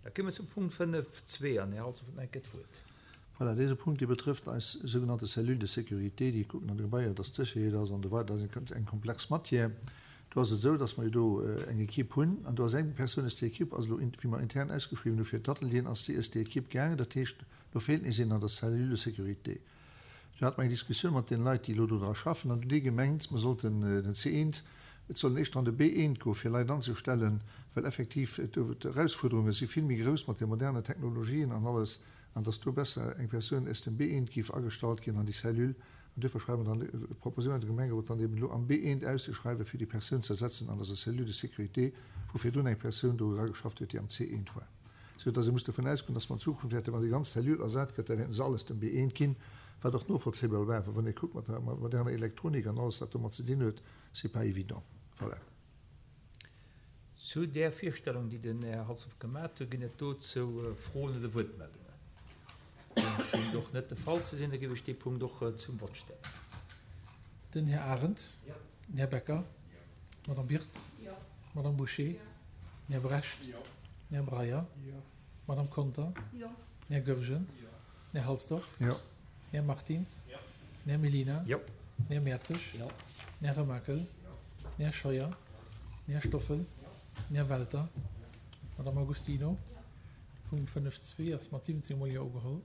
Da komme mer zum Punkt 5.2 an Här Halsdorf huet nach eng Kéier d'Wuert. Voilà, dese Punkt, dee betrëfft eis sougenannte Cellule de sécurité, déi kucken an de Gebaier, dass d'Sécherheet ass an esou weider. Dat ass eng komplex Matière. Do ass et esou, dass mer jo do eng Equipe hunn an do ass eng Persoun aus där Equipe ass elo, wéi mer intern ausgeschriwwen hu fir d'Atelieren, ass déi aus där Equipe gaangen. Dat heescht, do feelt nees een an der Cellule de sécurité. Do hate mer eng Diskussioun mat deene Leit, déi elo do dra schaffen, an do hunn déi gemengt, mer sollten den C1, et soll en éischter an de B1 goen, fir Leit anzestellen, well effektiv d'Erausfuerderunge si vill méi grouss mat de modernen Technologien an alles, an dass do besser eng Persoun aus dem B1 géif agestallt ginn an déi Cellule. An duerfir schreiwe mer dann, proposéiere mer dem Gemengerot dann eben elo am B1 auszeschreiwen, fir déi Persoun ze ersetzen an eiser Cellule de sécurité, wou virdrun eng Persoun do erageschafft huet, déi am C1 war. Sou dass ee muss dovun ausgoen, dass mer an Zukunft wäerten, wann déi ganz Cellule ersat gëtt, da wäerten se alles dem B1 ginn, wat och novollzéibar war, well wann ee kuckt mat der moderner Elektronik an alles wat domat ze dinn huet, c'est pas évident. Voilà. Zu där Virstellung, déi den Här Halsdorf gemat huet, ginn et dozou Froen oder Wuertmeldungen? Deem schéngt och net de Fall ze sinn. Da géif ech dee Punkt och zum Vott stellen. Den Här Arendt. Den Här Becker. D'Madame Birtz. D'Madame Bouché. Den Här Brecht. Den Här Breyer. D'Madame Conter. Den Här Goergen. Den Här Halsdorf. Den Här Martins. Den Här Mellina. Den Här Mertzig. Den Här Remakel. Den Här Scheuer. Den Här Stoffel. Den Här Welter. D'Madame Agostino. Punkt 5.2 ass mat 17 mol Jo ugeholl.